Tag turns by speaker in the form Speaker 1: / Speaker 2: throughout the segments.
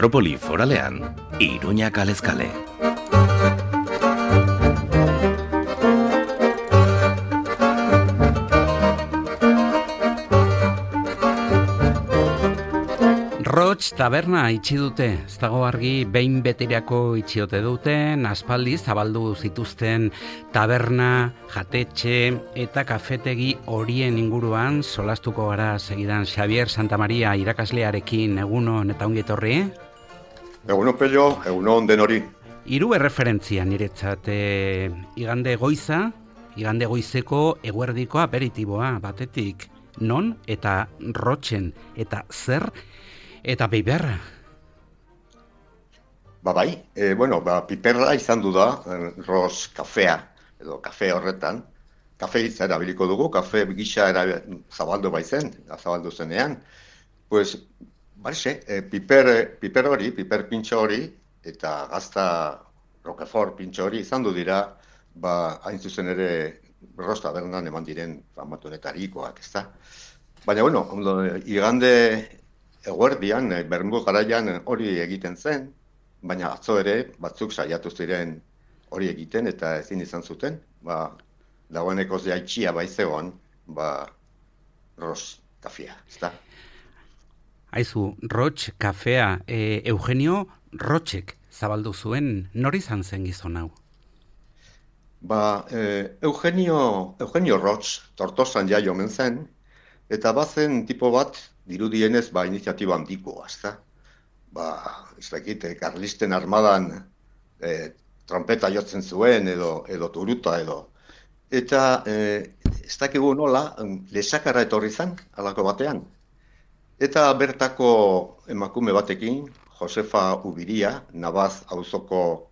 Speaker 1: Metropoli Foralean, Iruña kalez kale.
Speaker 2: Roch taberna itxi dute, ez dago argi behin betirako itxiote duten, aspaldi zabaldu zituzten taberna, jatetxe eta kafetegi horien inguruan solastuko gara segidan. Xavier Santamaria irakaslearekin egunon eta ongi etorri.
Speaker 3: Egunon Pello, egunon denori.
Speaker 2: Hiru erreferentzia niretzat, igande goizeko eguerdiko aperitiboa batetik, non eta Rochen eta zer eta piperra.
Speaker 3: Bai, piperra izan du da, Ros kafea, edo kafe horretan. Kafe hitza erabiliko dugu, kafe gisa zabaldu baizen, zabaldu zenean. Pues, piper hori, piper pintxo hori, eta gazta Roquefort pintxo hori izan du dira, hain zuzen ere Ros tabernan eman diren famatunetarikoak, ezta? Baina, igande eguerdian, Bermudo garaian hori egiten zen, baina atzo ere batzuk saiatu ziren hori egiten eta ezin izan zuten, dagoeneko jaitxia baizegoan, Ros kafea, ezta?
Speaker 2: Aizu, Roch kafea, Eugenio Rochek zabaldu zuen, nori izan zen gizon hau?
Speaker 3: Eugenio Roch Tortosan jaio omen zen, eta bazen tipo bat, dirudienez, iniziatiba handikoa, ezta? Ez dakit, Karlisten armadan trompeta jotzen zuen, edo turuta, edo. Eta ez dakigu nola, lesakara etorri zen, halako batean. Eta bertako emakume batekin, Josefa Ubiria, Navaz auzoko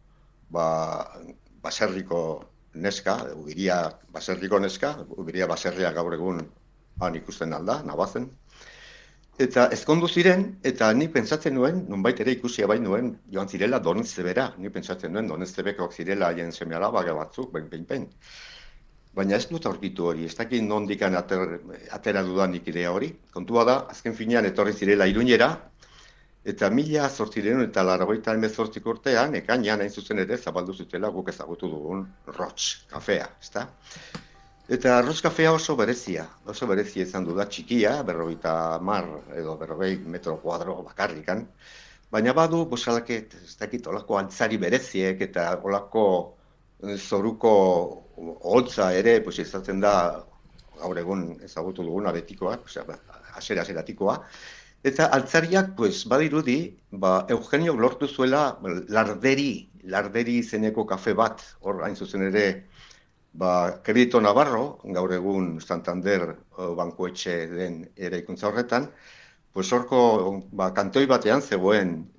Speaker 3: baserriko neska, Ubiria baserriko neska, Ubiria baserria gaur egun han ikusten alda, Navazen. Eta ezkondu ziren, eta ni pentsatzen nuen, nonbait ere ikusia bai nuen, joan zirela Doneztebera. Ni pentsatzen nuen Doneztebekok zirela haien seme-alaba batzuk, behin. Baina ez dut aurkitu hori, ez dakit nondikan atera dudanik idea hori. Kontua da, azken finean etorri zirela Iruñera, eta 1888 urtean, ekainean hain zuzen ere zabaldu zutela guk ezagutu dugun Roch kafea, ezta? Eta Ros kafea oso berezia izan du da, txikia, 50 edo 40 metro kuadro bakarrikan, baina badu, bosalaket, ez dakit, olako altzari bereziek eta olako zoruko holtza ere, izaten da, gaur egun ezagutu duguna betikoa, aseratikoa, eta altzariak, badirudi, Eugenio lortu zuela larderi izeneko kafe bat, hor hain zuzen ere, Kredito Navarro, gaur egun Santander bankuetxe den eraikuntza horretan, horko kantoi batean zegoen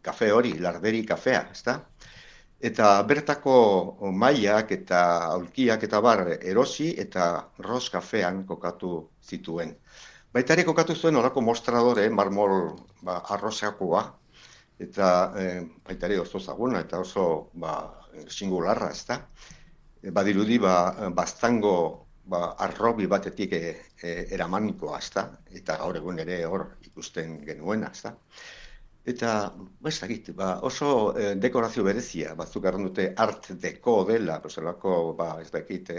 Speaker 3: kafe hori, larderi kafea, ezta? Eta bertako mailak eta aulkiak eta erosi eta Ros kafean kokatu zituen. Baita ere kokatu zuen horako mostradore, marmol arrosakoa, eta baita ere oso zaguna eta oso singularra, ezta? Badirudi, baztango arrobi batetik eramanikoa, ezta? Eta gaur egun ere hor ikusten genuena, ezta? Eta, oso dekorazio berezia, batzuk erran dute art deco dela, zelako, ez dakit,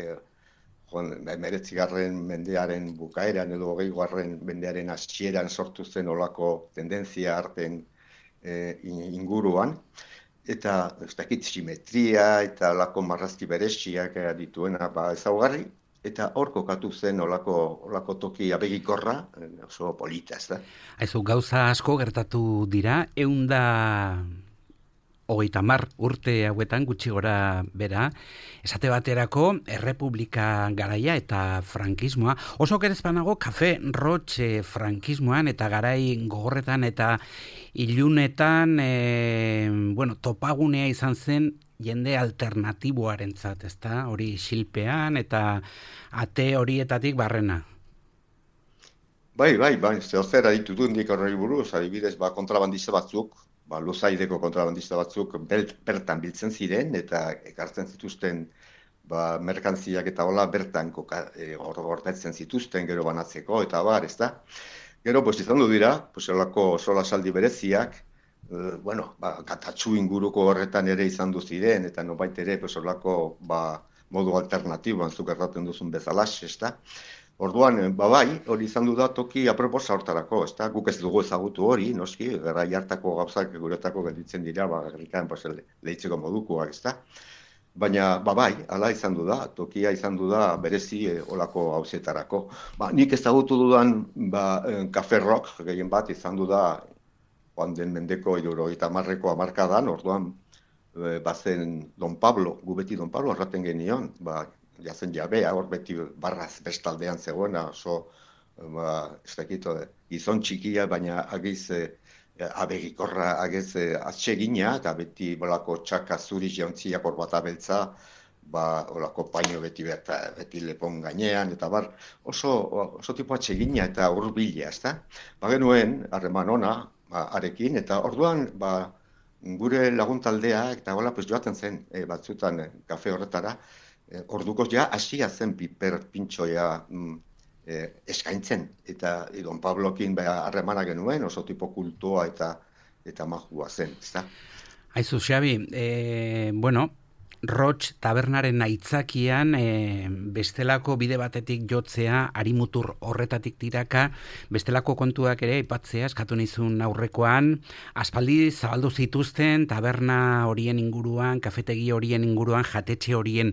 Speaker 3: 19. mendearen bukaeran edo 20. mendearen hasieran sortu zen olako tendentzia arten inguruan. Eta ez dakit simetria eta olako marrazki bereziak dituena ezaugarri, eta hor kokatu zen olako toki abegikorra, oso polita, ez da?
Speaker 2: Aizu, gauza asko gertatu dira, 130 urte hauetan gutxi gora bera, esate baterako errepublika garaia eta frankismoa, oso gerezpanago kafe Roch frankismoan eta garai gogorretan eta ilunetan, topagunea izan zen jende alternatiboarentzat, ezta? Hori xilpean eta ate horietatik barrena.
Speaker 3: Bai, zer aditu dundik horrei buruz, adibidez, kontrabandista batzuk, luzaideko kontrabandista batzuk bertan biltzen ziren eta ekartzen zituzten merkantziak eta hola bertan gordetzen zituzten gero banatzeko eta ez da. Gero, izan du dira, olako solasaldi bereziak, katatxu inguruko horretan ere izan du ziren, eta nobait ere, horlako, modu alternatiboan zuk erraten duzun bezalaxe, ezta? Orduan, hori izan du da toki aproposa hortarako, ezta? Guk ez dugu ezagutu hori, noski, garai hartako gauzak guretako gelditzen dira, gerrikan, lehitzeko modukoak, ezta? Baina, hala izan du da, tokia izan du da berezi olako hauzetarako. Nik ezagutu dudan, Café Rock, gehien bat, izan du da, joan den mendeko 70ko hamarkadan, orduan, bazen Don Pablo, gu beti Don Pablo erraten genion, jazen jabea, hor beti barraz bestaldean zegoena, oso, ez dakito, gizon txikia, baina agiz abegikorra, agiz atsegina, eta beti bolako txaka zuri jauntziak hor bat abeltza, olako paino beti lepon gainean, eta oso tipo atsegina eta hurbila, ezta? Genuen, harreman ona, arekin, eta orduan, gure laguntaldea, eta joaten zen batzutan kafe horretara, orduko ja hasia zen piper pintxoia eskaintzen, eta Don Pablokin harremana genuen, oso tipo kultua eta majua zen, ezta?
Speaker 2: Aizu, Xabi, Roch tabernaren aitzakian bestelako bide batetik jotzea, harimutur horretatik tiraka, bestelako kontuak ere aipatzea eskatu nizun aurrekoan, aspaldi zabaldu zituzten taberna horien inguruan, kafetegi horien inguruan, jatetxe horien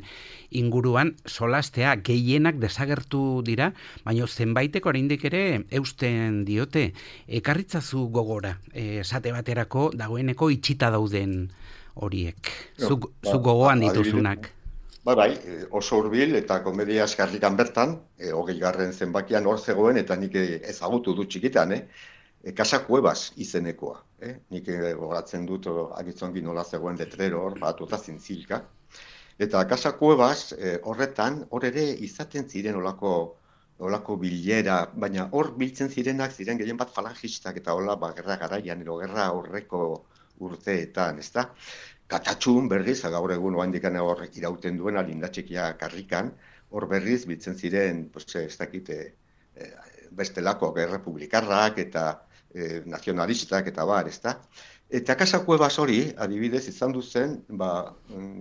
Speaker 2: inguruan, solastea gehienak desagertu dira, baina zenbaitek oraindik ere eusten diote. Ekarritzazu gogora, esate baterako dagoeneko itxita dauden horiek, zuk gogoan dituzunak.
Speaker 3: Oso hurbil eta komedia eskarrikan bertan, 20. zenbakian hor zegoen, eta nik ezagutu dut txikitan, Casa Cuevas izenekoa. Nik gogoratzen dut agitzongi nola zegoen letrero hor, batuta zintzilka. Eta Casa Cuevas horretan, hor ere izaten ziren olako bilera, baina hor biltzen zirenak ziren gehien bat falangistak eta hola gerra garaian, gerra horreko urteetan, ezta? Katatxun berriz, gaur egun oaindikan hor irauten duena lindatxekia karrikan, hor berriz biltzen ziren, ez dakite, bestelako errepublikarrak eta nazionalistak eta ezta? Eta Casa Cuevas hori, adibidez, izan duzen,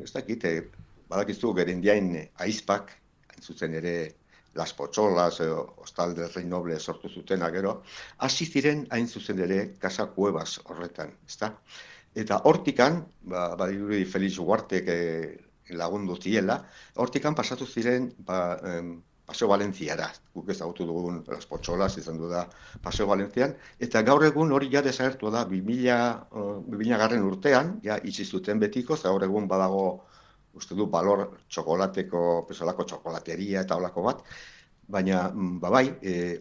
Speaker 3: ez dakite, badakizu gerindiain aizpak, hain zuzen ere Las Potxolas, Hostal del Rey Noble sortu zutena gero, hasi ziren hain zuzen ere Casa Cuevas horretan, ezta? Eta hortikan, badirudi Felix Ugartek lagundu ziela, hortikan pasatu ziren Paseo Valentziara, guk ezagutu dugun Las Potxolas izan du da Paseo Valentzian, eta gaur egun hori ja desagertu da 2000 urtean, ja itxi zuten betiko, gaur egun badago uste du balor txokolateko, pesolako txokolateria eta holako bat, baina,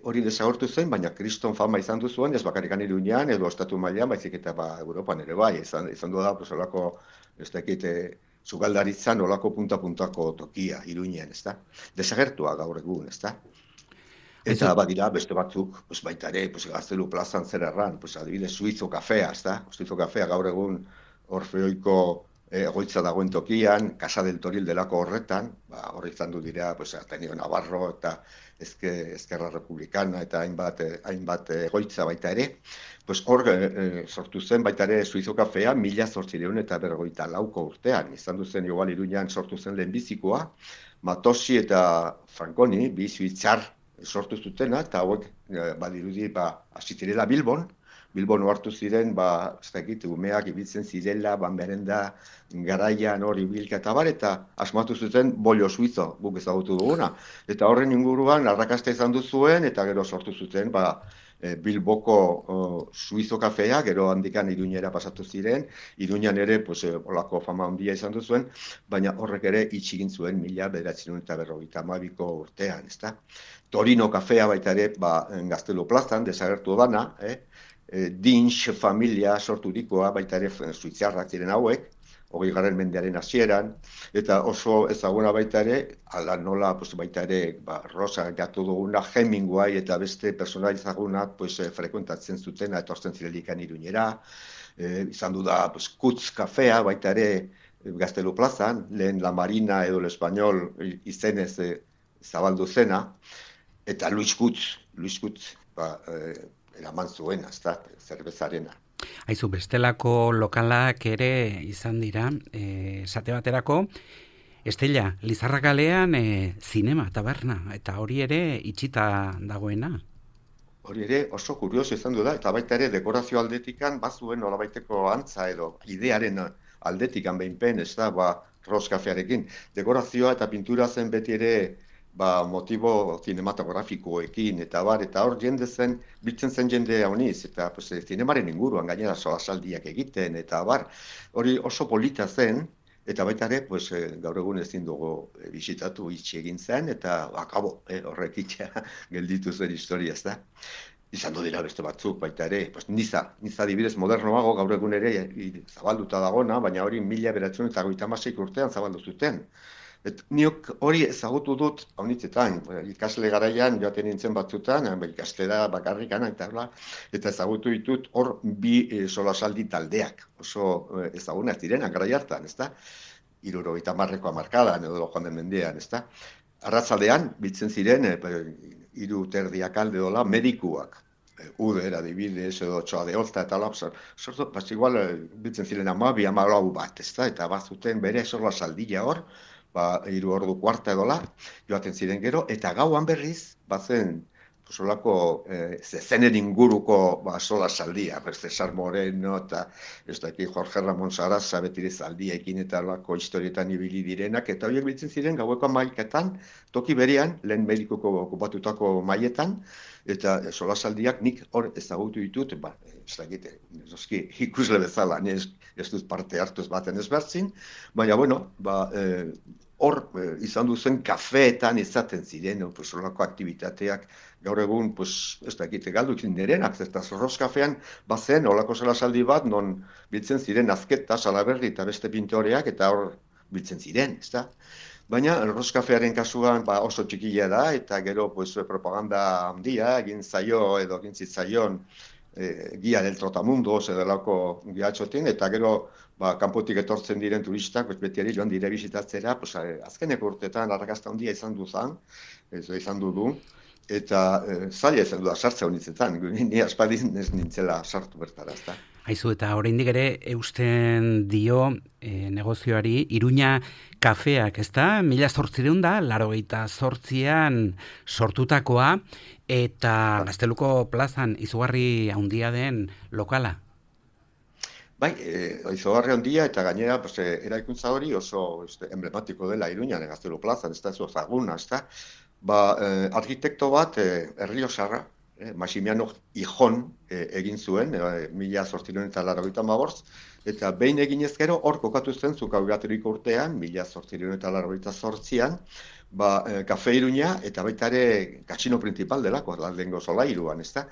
Speaker 3: hori desagertu zen, baina kriston fama izan du zuen, ez bakarrikan Iruñean, edo estatu mailan, baizik eta Europan ere izan du da, pesolako, ez dakite, zugaldaritzan olako punta-puntako tokia Iruñean, ez da? Desagertua gaur egun, ez da? Eta badira, beste batzuk, baita ere, Gaztelu plazan zer erran, adibidez, Suizo kafea, ez da? Suizo kafea gaur egun Orfeoiko egoitza dagoen tokian, Casa del Toril delako horretan, hor izan du dira, Ateneo Navarro eta Ezkerra Republikana eta hainbat egoitza baita ere, hor sortu zen baita ere Suizo kafea 1854 urtean, izan duzen igual Iruñean sortu zen lehenbizikoa, Matosi eta Franconi, bi suitzar sortu zutena, eta hauek badirudi hasi zirela Bilbon hartu ziren, ez dakit, umeak ibiltzen zirela, banberenda, garaian hori bilka eta eta asmatu zuten bollo suizo, guk ezagutu duguna. Eta horren inguruan, arrakasta izan duzuen, eta gero sortu zuten, Bilboko suizo kafea, gero handikan Iruñera pasatu ziren, Iruñan ere, olako fama handia izan duzuen, baina horrek ere itxigin zuen 1952ko urtean, ezta? Torino kafea baita ere, Gaztelu plazan, desagertu dana, Dinx familia sorturikoa, baita ere suitzarrak ziren hauek, 20. mendearen hasieran, eta oso ezaguna baita ere, ala nola baita ere, Rosa gatu duguna, Hemingway eta beste personal ezagunak frekuentatzen zutena, etortzen zirelikan Iruñera, izan du da Kutz kafea, baita ere Gaztelu plazan, lehen La Marina edo l'Español izenez zabaldu zena, eta Luis Kutz eraman zuena, zerbezarena.
Speaker 2: Aizu, bestelako lokalak ere izan dira, esate baterako, Estella, Lizarra kalean zinema, taberna, eta hori ere itxita dagoena.
Speaker 3: Hori ere oso kurioso izan du da, eta baita ere dekorazio aldetikan bazuen nolabaiteko antza edo idearen aldetikan behinpen, ez da, Roch kafearekin. Dekorazioa eta pintura zen beti ere motibo cinematografikoekin, eta hor jende zen, biltzen zen jende hauniz, eta zinemaren inguruan gainera solasaldiak egiten, eta hori oso polita zen, eta baita ere, gaur egun ezin dugu bisitatu itxi egin zen, eta akabo, horrek itxea gelditu zen historia, ez da. Izan dira beste batzuk baita ere, niza adibidez modernoago gaur egun ere zabalduta dagona, baina hori 1996 urtean zabaldu zuten. Niok hori ezagutu dut haunitzetan, ikasle garaian joaten nintzen batzutan, ikaslera bakarrikan, eta ezagutu ditut hor bi solasaldi taldeak, oso ezagunak direnak garai hartan, ez da? 70ko hamarkadan edo joan den mendean, ez da? Arratsaldean biltzen ziren, 3:30 alde dola, medikuak. Uder, adibidez, edo txoa de holta, eta sortu, igual biltzen ziren 12-14 bat, ez da? Eta bazuten bere solasaldia hor, 3 ordu kuarta edola, joaten ziren gero, eta gauan berriz, bazen, solako zenen inguruko solasaldia, Cesar Moreno, eta ez daki Jorge Ramon Sarasa betire zaldiekin eta lako historietan ibili direnak, eta horiek biltzen ziren gaueko maiketan, toki berean, lehen medikuko okupatutako maietan, eta solasaldiak nik hor ezagutu ditut, ez dakite, ikusle bezala, ez dut parte hartuz baten ezbertzin, baina, hor izan duzen kafeetan izaten ziren, solako aktivitateak, gaur egun, ez dakite galdukin direnak, eta Roch kafean bazen, olako solasaldi bat, non biltzen ziren Azketa, Salaberri eta beste pintoreak, eta hor biltzen ziren, ez da? Baina, Roch kafearen kasuan oso txikia da, eta gero propaganda handia, egin zitzaion Guia del Trotamundos edalako giatxotin, eta gero kanpotik etortzen diren turistak, betiari joan dire bisitatzera, azkeneko urteetan arrakasta handia izan du, eta zaila izan du da sartza honitzetan, ni aspaldin ez nintzela sartu bertara, ez da.
Speaker 2: Aizu, eta oraindik ere eusten dio negozioari Iruña kafeak, ez da? 1888an sortutakoa, eta Gazteluko plazan izugarri handia den lokala.
Speaker 3: Bai, izugarri handia, eta gainera eraikuntza hori oso emblematiko dela Iruñan, Gaztelu plazan, ez da, ez ezaguna, ez da. Arkitekto bat, Erriosarra, Maximiano Ijon egin zuen, 1885, eta behin eginez gero hor kokatu zen Zukaugaturiko urtean, 1888an, Kafe Iruña eta baita ere kasino principal delako, lehengo solairuan, ez da?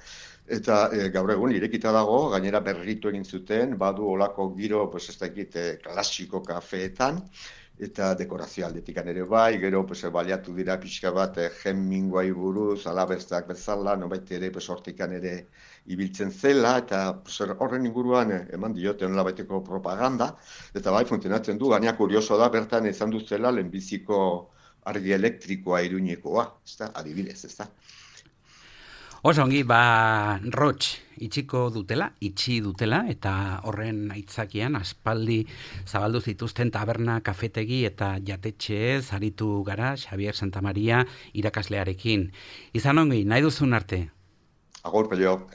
Speaker 3: Eta gaur egun irekita dago, gainera berritu egin zuten, badu olako giro, ez dakit, klasiko kafeetan, eta dekorazio aldetikan ere bai, gero baliatu dira pixka bat Hemingway buruz, alaberzak bezala, nobait ere hortikan ere ibiltzen zela, eta horren inguruan eman dioten nolabaiteko propaganda, eta bai funtzionatzen du, gaina kurioso da, bertan izan duzela lehenbiziko argi elektrikoa Iruñekoa, ez da, adibidez, ez da.
Speaker 2: Oso ongi, Roch itxi dutela, eta horren aitzakian aspaldi zabaldu zituzten taberna, kafetegi eta jatetxe aritu gara Xavier Santamaria irakaslearekin. Izan ongi, nahi duzun arte.
Speaker 3: Agur, pello.